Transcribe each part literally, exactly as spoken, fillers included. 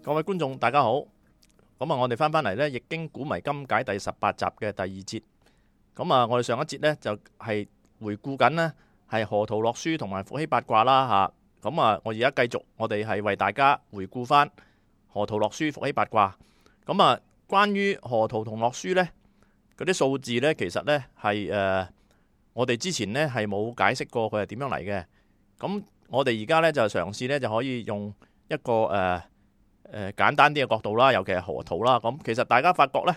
各位觀眾大家好，咁啊我哋翻翻嚟呢《易經古謎今解》第十八集嘅第二節。咁啊我哋上一節呢，就係回顧緊呢係河圖洛書同埋伏羲八卦啦吓。咁啊我而家繼續，我哋係為大家回顧翻河圖洛書、伏羲八卦。咁啊關於河圖同洛書呢，嗰啲數字呢，其實呢係誒我哋之前呢係冇解釋過佢係點樣嚟嘅。咁我哋而家呢，就嘗試呢就可以用一個誒。呃誒、呃、簡單啲嘅角度啦，尤其係河圖啦。咁其實大家發覺呢，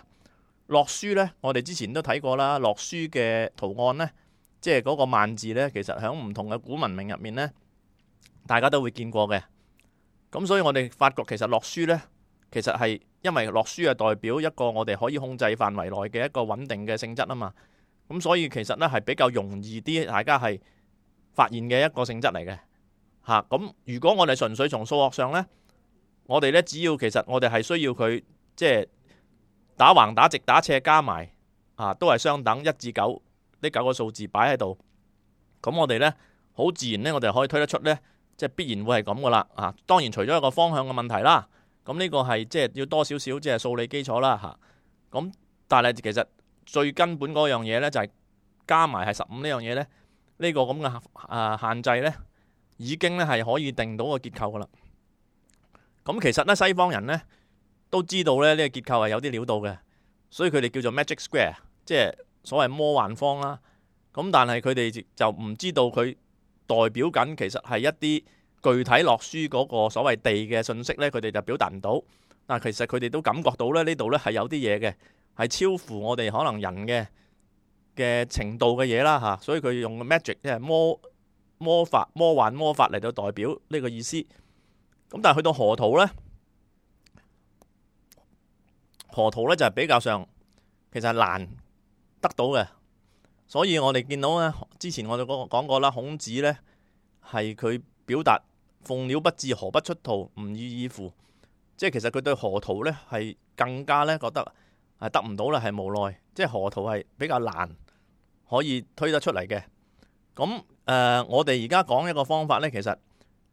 洛書呢，我哋之前都睇過啦。洛書嘅圖案呢，即係嗰個萬字呢，其實喺唔同嘅古文明入面呢，大家都會見過嘅。咁所以我哋發覺其實洛書呢，其實係因為洛書係代表一個我哋可以控制範圍內嘅一個穩定嘅性質啊嘛。咁所以其實呢係比較容易啲，大家係發現嘅一個性質嚟嘅嚇。咁如果我哋純粹從數學上呢，我哋咧，只要其實我哋係需要佢即係打橫打直打斜加埋啊，都係相等一至九呢九個數字擺喺度。咁我哋呢，好自然呢，我哋可以推得出呢，即係必然會係咁噶啦啊。當然除咗一個方向嘅問題啦，咁呢個係即係要多少少即係數理基礎啦嚇。咁但係其實最根本嗰樣嘢呢，就係加埋係十五呢樣嘢呢，呢個咁嘅啊限制呢，已經呢係可以定到個結構噶啦。咁其實咧，西方人咧都知道咧呢個結構係有啲料到嘅，所以佢哋叫做 magic square， 即係所謂魔幻方啦。咁但係佢哋就唔知道佢代表緊其實係一啲具體洛書嗰個所謂地嘅信息咧，佢哋就表達唔到。但係其實佢哋都感覺到咧呢度咧係有啲嘢嘅，係超乎我哋可能人嘅嘅程度嘅嘢啦嚇。所以佢用 magic 即係魔魔法、魔幻魔法嚟到代表呢個意思。咁但係去到河圖呢，河圖呢就係比較上其實係難得到嘅，所以我哋見到呢，之前我哋講過啦，孔子呢係佢表達鳳鳥不至，河不出圖，吾已矣乎，即係其實佢對河圖呢係更加呢覺得係得唔到啦，係無奈，即係河圖係比較難可以推得出嚟嘅。咁誒、呃，我哋而家講一個方法呢，其實。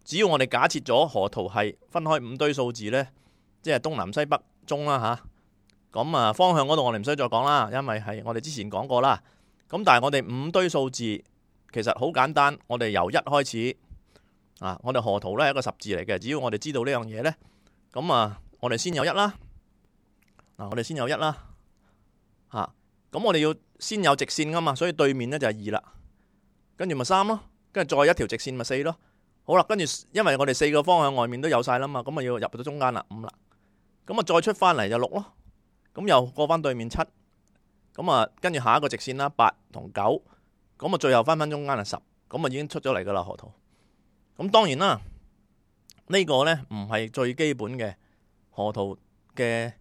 只要我哋假設咗河圖係分開五堆數字呢，即係東南西北中啦吓，咁啊方向嗰度我哋唔需要再講啦，因為係我哋之前講過啦。咁但係我哋五堆數字其實好簡單，我哋由一開始啊，我哋河圖呢係一個十字嚟嘅。只要我哋知道呢樣嘢呢，咁啊我哋先有一啦，嗱我哋先有一啦，吓咁我哋要先有直線噶嘛，所以對面呢就係二啦，跟住咪三咯，跟住再一條直線咪四咯。好啦，跟住因為我哋四個方向外面都有晒啦嘛，咁啊要入到中間啦，五啦，咁啊再出翻嚟就六咯，咁又過翻對面七，咁啊跟住下一個直線啦，八同九，咁啊最後翻翻中間係十，咁啊已經出咗嚟噶啦河圖。咁當然啦，呢個呢唔係最基本嘅河圖嘅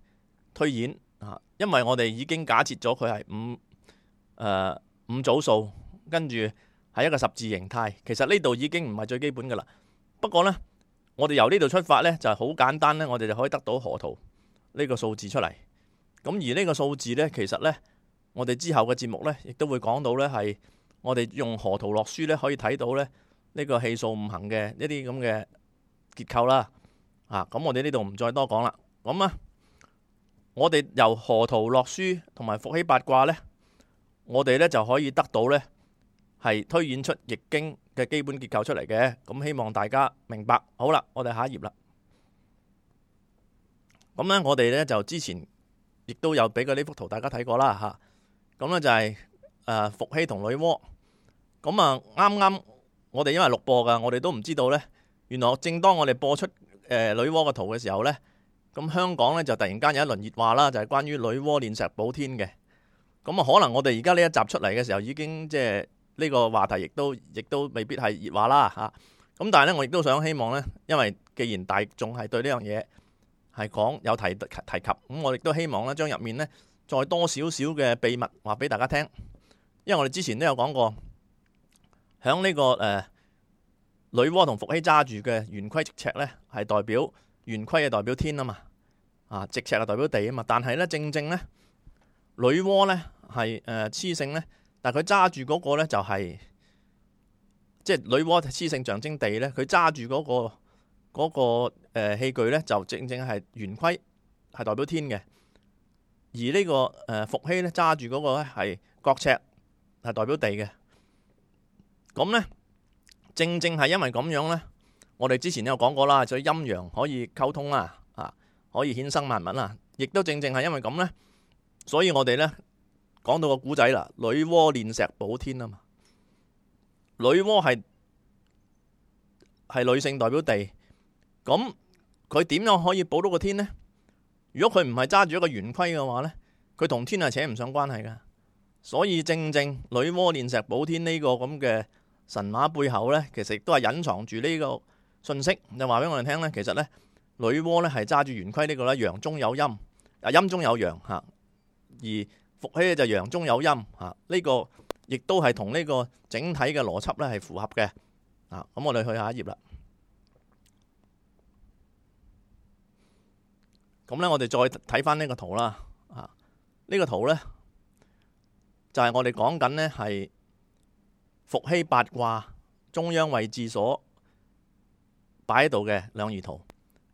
推演啊，因為我哋已經假設咗佢係五誒五組數，跟住。係一個十字形態，其實呢度已經唔係最基本噶啦。不過呢，我哋由呢度出發呢，就係好簡單呢，我哋就可以得到河圖呢個數字出嚟。咁而呢個數字呢，其實呢，我哋之後嘅節目呢，亦都會講到呢，係我哋用河圖洛書呢，可以睇到呢，呢個氣數五行嘅一啲咁嘅結構啦。啊，咁我哋呢度唔再多講啦。咁啊，我哋由河圖洛書同埋伏羲八卦呢，我哋呢就可以得到呢。係推演出易經嘅基本結構出嚟嘅，咁希望大家明白。好啦，我哋下一頁啦。咁呢，我哋呢就之前亦都有俾過呢幅圖大家睇過啦吓。咁呢就係誒伏羲同女媧。咁啊啱啱我哋因為錄播噶，我哋都唔知道呢。原來正當我哋播出誒女媧嘅圖嘅時候呢，咁香港呢就突然間有一輪熱話啦，就係關於女媧煉石補天嘅。咁啊可能我哋而家呢一集出嚟嘅時候已經即係。呢個話題亦都亦都未必係熱話啦嚇，咁但係咧，我亦都想希望呢，因為既然大眾係對呢樣嘢係講有提提及，咁我亦都希望呢將入面呢再多少少嘅秘密話俾大家聽，因為我哋之前都有講過，響呢、這個誒、呃、女媧同伏羲揸住嘅圓規直尺呢，係代表圓規係代表天啊嘛，啊直尺係代表地啊嘛，但係呢，正正呢，女媧呢係誒雌性呢。但係佢揸住嗰個咧，就係即係女媧雌性象徵地咧，佢揸住嗰個嗰個誒器具咧，就正正係圓規，係代表天嘅；而呢個誒伏羲咧揸住嗰個咧係角尺，係代表地嘅。咁咧，正正係因為咁樣咧，我哋之前都有講過啦，所以陰陽可以溝通啦，啊，可以衍生萬物啦。亦都正正係因為咁咧，所以我哋咧講到個古仔啦，女媧煉石補天啊嘛。女媧係係女性代表地，咁佢點樣可以補到個天呢？如果佢唔係揸住一個圓規嘅話呢，佢同天係扯唔上關係噶。所以正正女媧煉石補天呢個咁嘅神話背後呢，其實亦都係隱藏住呢個信息，就話俾我哋聽呢，其實呢，女媧呢係揸住圓規呢個呢，陽中有陰，啊陰中有陽吓，而伏羲就陽中有陰吓，呢個亦都係同呢個整體嘅邏輯呢係符合嘅。啊，咁我哋去下一頁啦。咁呢，我哋再睇翻呢個圖啦。啊，呢個圖呢，就係我哋講緊呢係伏羲八卦中央位置所擺喺度嘅兩儀圖。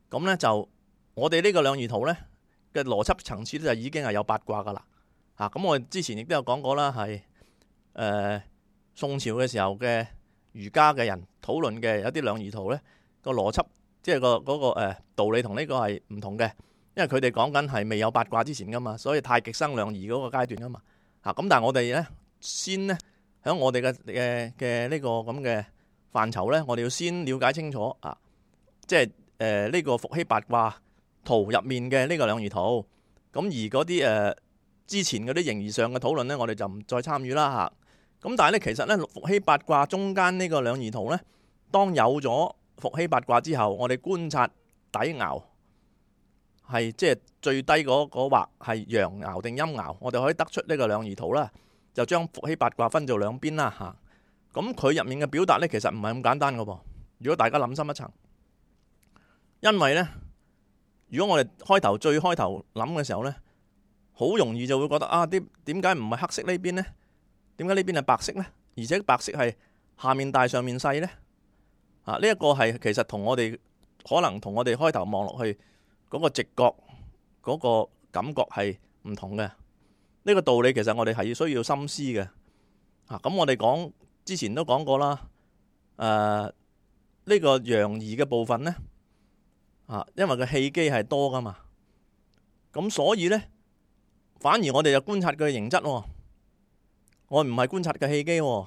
咁呢，就我哋呢個兩儀圖呢嘅邏輯層次就已經係有八卦噶啦。啊，咁我哋之前亦都有講過啦，係誒、呃、宋朝嘅時候嘅儒家嘅人討論嘅有啲兩儀圖呢個邏輯，即係個嗰個誒道理同呢個係唔同嘅，因為佢哋講緊係未有八卦之前噶嘛，所以太極生兩儀嗰個階段噶嘛。啊，咁但係我哋呢，先呢，喺我哋嘅嘅嘅呢個咁嘅範疇呢，我哋要先了解清楚啊，即係誒呢個伏羲八卦圖入面嘅呢個兩儀圖。咁而嗰啲誒之前嗰啲形而上嘅討論呢，我哋就唔再參與啦嚇。咁但係咧，其實咧伏羲八卦中間呢個兩儀圖咧，當有咗伏羲八卦之後，我哋觀察底爻係即係最低嗰嗰畫係陽爻定陰爻，我哋可以得出呢個兩儀圖啦，就將伏羲八卦分做兩邊啦嚇。咁佢入面嘅表達咧，其實唔係咁簡單噶噃。如果大家諗深一層，因為咧，如果我哋開頭最開頭諗嘅時候咧，好容易就會覺得啊，啲點解唔係黑色呢邊呢？點解呢邊係白色呢？而且白色係下面大上面細呢？啊，呢一個係其實同我哋可能同我哋開頭望落去嗰個直覺嗰個感覺係唔同嘅。呢個道理其實我哋係需要深思嘅。啊，咁我哋講之前都講過啦。誒，呢個陽儀嘅部分呢，啊，因為個氣機係多噶嘛，咁所以呢，反而我哋就觀察佢嘅形質喎。我唔係觀察嘅氣機喎，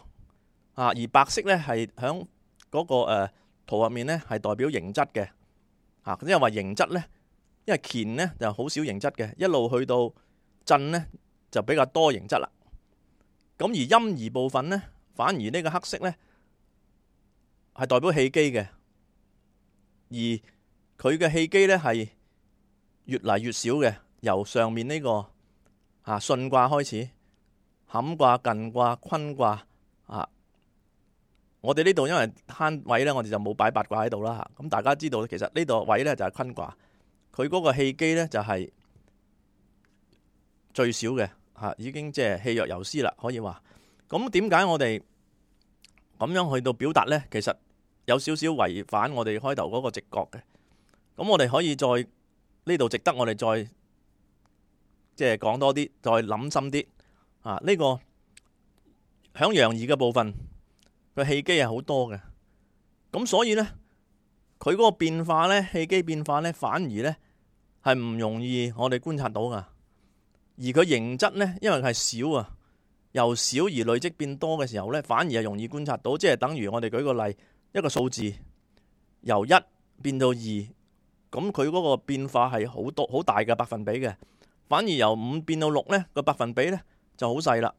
啊，而白色咧係響嗰個誒、呃、圖入面咧係代表形質嘅，啊，因為話形質咧，因為乾咧就好少形質嘅，一路去到震咧就比較多形質啦。咁而陰儀部分咧，反而呢個黑色咧係代表氣機嘅，而佢嘅氣機咧係越嚟越少嘅，由上面呢、這個啊巽卦開始。坎卦、艮卦、坤卦啊！我哋呢度因為慳位咧，我哋就冇擺八卦喺度啦嚇。咁大家知道，其實呢度位咧就係坤卦，佢嗰個氣機咧就係最少嘅嚇，已經即係氣若游絲啦，可以話。咁點解我哋咁樣去到表達咧？其實有少少違反我哋開頭嗰個直覺嘅。咁我哋可以再呢度值得我哋再即係講多啲，再諗深啲。啊！呢、這個響陽儀嘅部分，佢氣機係好多嘅，咁所以呢，佢嗰個變化呢，氣機變化呢，反而呢係唔容易我哋觀察到噶。而佢形質呢，因為係少啊，由少而累積變多嘅時候呢，反而係容易觀察到。即係等於我哋舉個例，一個數字由一變到二，咁佢嗰個變化係好多好大嘅百分比嘅。反而由五變到六呢，個百分比呢，就好細啦，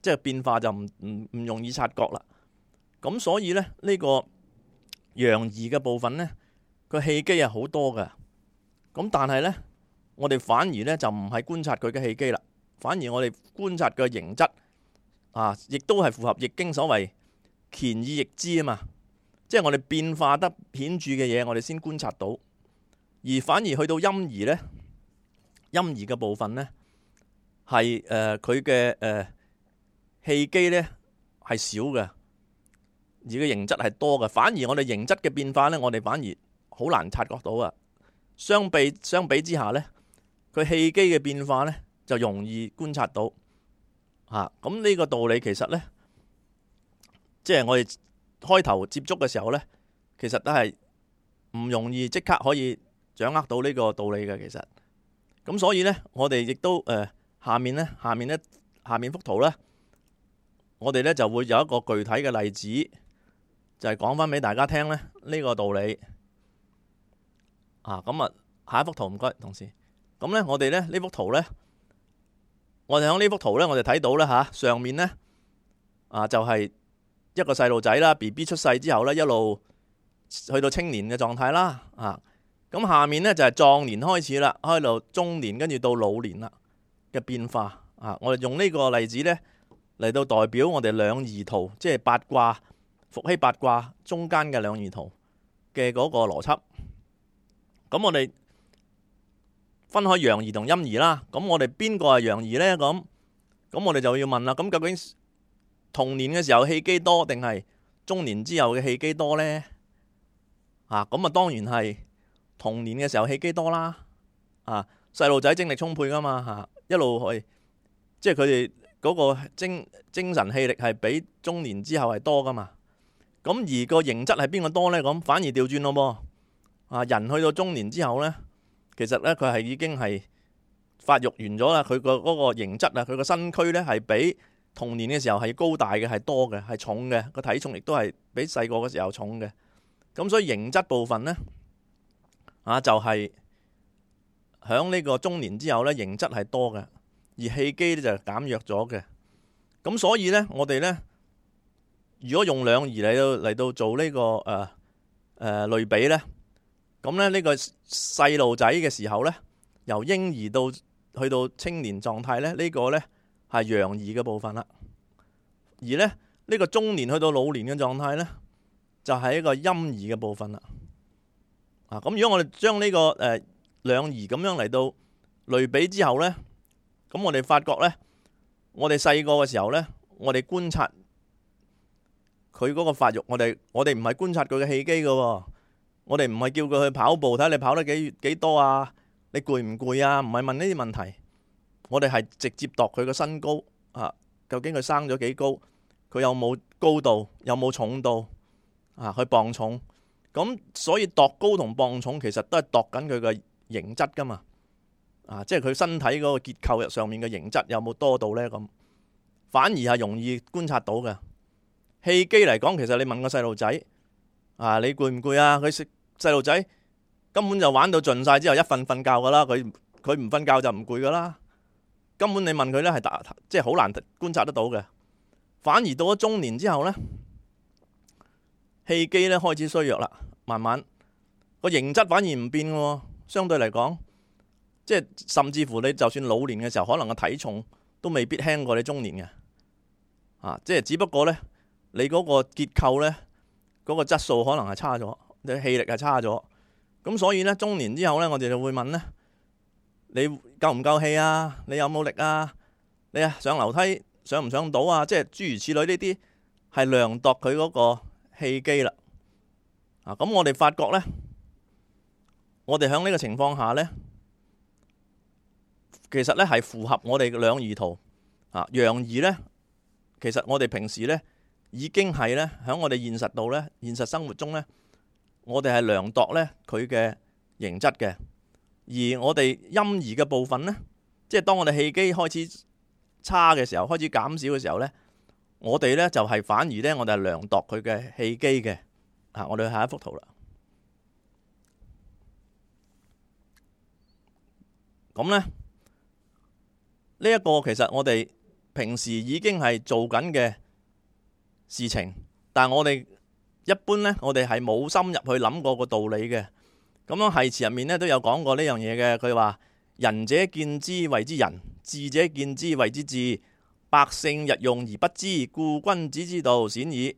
即係變化就唔唔唔容易察覺啦。咁所以咧，呢個陽儀嘅部分咧，佢氣機係好多嘅。咁但係咧，我哋反而咧就唔係觀察佢嘅氣機啦，反而我哋觀察佢嘅形質啊，亦都係符合易經所謂乾以易知啊嘛。即係我哋變化得顯著嘅嘢，我哋先觀察到。而反而去到陰儀咧，陰儀嘅部分咧。係誒佢嘅誒氣機咧係少嘅，而個形質係多嘅。反而我哋形質嘅變化咧，我哋反而好難察覺到啊。相比相比之下呢，佢氣機嘅變化呢就容易觀察到嚇。咁呢個道理其實呢，即係我哋開頭接觸嘅時候呢，其實都係唔容易即刻可以掌握到呢個道理嘅。其實咁所以呢，我哋亦都誒、呃、下面呢，下面呢，下面幅圖呢，我哋呢就會有一個具體嘅例子，就係講翻俾大家聽呢呢個道理啊。咁啊，下一幅圖唔該，同事。咁呢，我哋呢呢幅圖呢，我哋喺呢幅圖呢，我哋睇到呢，嚇、啊、上面呢，啊就係、是、一個細路仔啦 ，B B 出世之後呢，一路去到青年嘅狀態啦，啊咁下面呢，就係壯年開始啦，開到中年，跟住到老年啦嘅變化啊。我哋用呢個例子呢，嚟到代表我哋兩儀圖，即係八卦伏羲八卦中間嘅兩儀圖嘅嗰個邏輯。咁我哋分開陽儀同陰儀啦。咁我哋邊個係陽儀呢？咁咁我哋就要問啦。咁究竟童年嘅時候氣機多定係中年之後嘅氣機多呢？啊，咁啊當然係童年嘅時候氣機多啦。啊，細路仔精力充沛噶嘛，嚇、啊、一路去，即係佢哋嗰個精精神氣力係比中年之後係多噶嘛。咁而個形質係邊個多呢？咁反而調轉咯噃。啊，人去到中年之後呢，其實呢，佢係已經係發育完咗啦。佢個嗰個形質啊，佢個身軀呢係比童年嘅時候係高大嘅，係多嘅，係重嘅，個體重亦都係比細個嘅時候重嘅。咁所以形質部分呢，啊就係響呢個中年之後呢，形質係多嘅，而氣機呢就減弱咗嘅。咁所以呢，我哋呢，如果用兩儀嚟到嚟到做呢、這個誒誒、呃呃、類比呢，咁咧呢個細路仔嘅時候呢，由嬰兒到去到青年狀態呢，呢、這個呢係陽儀嘅部分啦。而呢，呢、這個中年去到老年嘅狀態呢，就係、是、一個陰儀嘅部分啦。啊，咁如果我哋將呢個誒兩儀咁樣嚟到類比之後呢，咁我哋發覺呢，我哋細個嘅時候呢，我哋觀察佢嗰個發育，我哋我哋唔係觀察佢嘅氣機嘅，我哋唔係叫佢去跑步睇下你跑得幾幾多啊，你攰唔攰啊？唔係問呢啲問題，我哋係直接度佢個身高啊，究竟佢生咗幾高，佢有冇高度，有冇重度啊？去磅重，咁所以度高同磅重其實都係度緊佢嘅形質噶嘛，啊，即係佢身體嗰個結構上面嘅形質有冇多到呢？咁反而係容易觀察到嘅。氣機嚟講，其實你問個細路仔啊，你攰唔攰啊？佢食細路仔根本就玩到盡晒之後，一瞓瞓覺噶啦。佢佢唔瞓覺就唔攰噶啦。根本你問佢呢，係打即係好難觀察得到嘅。反而到咗中年之後呢，氣機呢開始衰弱啦，慢慢個形質反而唔變嘅。相對嚟講，即係甚至乎你就算老年嘅時候，可能個體重都未必輕過你中年嘅。啊，即係只不過呢，你嗰個結構呢，嗰個質素可能係差咗，你氣力係差咗。咁所以呢，中年之後呢，我哋就會問呢：你夠唔夠氣啊？你有冇力啊？你啊上樓梯上唔上到啊？即係諸如此類呢啲係量度佢嗰個氣機啦。啊，咁我哋發覺呢，我哋喺呢個情況下呢，其實呢係符合我哋嘅兩儀圖啊。陽儀呢，其實我哋平時呢已經係呢，喺我哋現實度呢，現實生活中呢，我哋係量度呢佢嘅形質嘅。而我哋陰儀嘅部分呢，即係當我哋氣機開始差嘅時候，開始減少嘅時候呢，我哋呢就係反而呢，我哋係量度佢嘅氣機嘅。啊，我哋去下一幅圖啦。咁呢，呢一個其實我哋平時已經係做緊嘅事情，但係我哋一般呢，我哋係冇深入去諗過個道理嘅。咁樣繫辭入面呢都有講過呢樣嘢嘅。佢話仁者見之謂之仁，智者見之謂之智，百姓日用而不知，故君子之道鮮矣。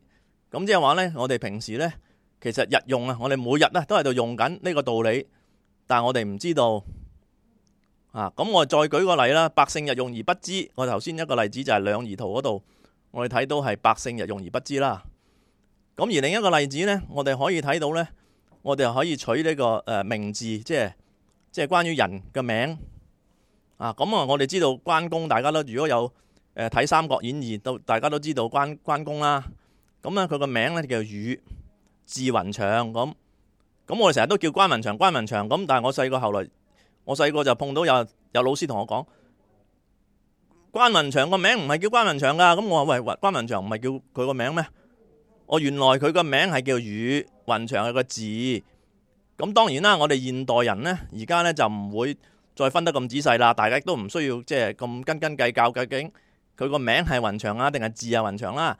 咁即係話呢，我哋平時呢，其實日用啊，我哋每日呢都喺度用緊呢個道理，但係我哋唔知道啊。咁我再舉個例啦，百姓日用而不知。我頭先一個例子就係兩儀圖嗰度，我哋睇到係百姓日用而不知啦。咁而另一個例子呢，我哋可以睇到呢，我哋又可以取呢個誒名字，即係即係關於人嘅名啊。咁啊，我哋知道關公，大家都如果有誒睇《三國演義》，都大家都知道關關公啦。咁咧佢個名咧叫羽，字雲長咁。咁我哋成日都叫關雲長，關雲長咁。但係我細個後來，我細個就碰到有有老師同我講，關雲長個名唔係叫關雲長噶。咁我話喂，關雲長唔係叫佢個名咩？我原來佢個名係叫羽，雲長係個字。咁當然啦，我哋現代人呢，而家呢就唔會再分得咁仔細啦。大家都唔需要即係咁斤斤計較，究竟佢個名係雲長啊，定係字係雲長啦。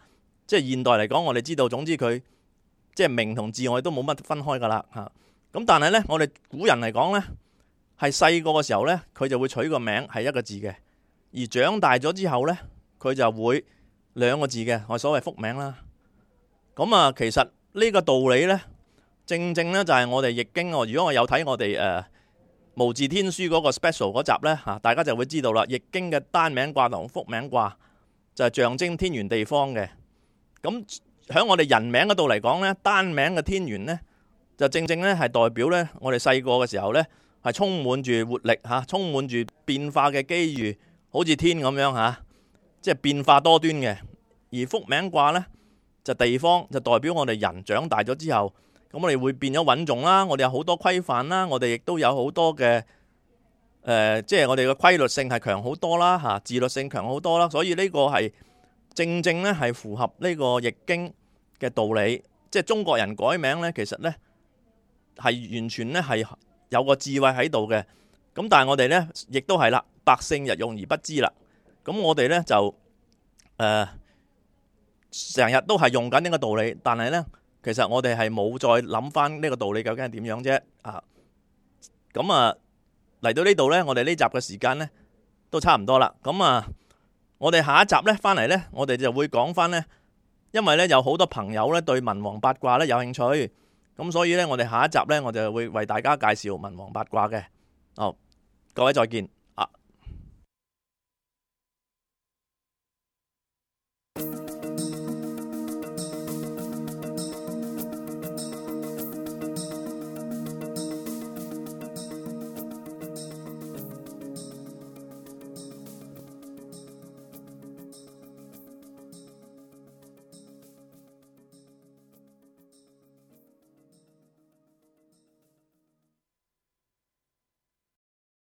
即係現代嚟講，我哋知道，總之佢。即係名同字，我哋都冇乜分開噶啦嚇。咁但係呢，我哋古人嚟講呢，係細個嘅時候呢，佢就會取個名係一個字嘅；而長大咗之後呢，佢就會兩個字嘅，我所謂複名啦。咁啊，其實呢個道理呢，正正呢就係我哋易經。如果我有睇我哋誒、呃、無字天書嗰個 special 嗰集呢，嚇，大家就會知道啦。易經嘅單名卦同複名卦就係象徵天圓地方嘅。咁喺我哋人名嗰度嚟講呢，單名嘅天圓呢，就正正呢係代表呢，我哋細個嘅時候呢，係充滿住活力嚇，充滿住變化嘅機遇，好似天咁樣嚇，即係變化多端嘅。而複名卦呢，就地方，就代表我哋人長大咗之後，咁我哋會變咗穩重啦，我哋有好多規範啦，我哋亦都有好多嘅誒、呃，即係我哋嘅規律性係強好多啦嚇，自律性強好多啦，所以呢個係。正正咧係符合呢個易經嘅道理，即係中國人改名咧，其實咧係完全咧係有個智慧喺度嘅。咁但係我哋咧亦都係啦，百姓日用而不知啦。咁我哋咧就誒成日都係用緊呢個道理，但係咧其實我哋係冇再諗翻呢個道理究竟係點樣啫啊！咁啊嚟到呢度咧，我哋呢集嘅時間咧都差唔多啦。咁啊〜我哋下一集咧翻嚟咧，我哋就會講翻咧，因為咧有好多朋友咧對文王八卦咧有興趣，咁所以咧我哋下一集咧我就會為大家介紹文王八卦嘅。好，各位再見。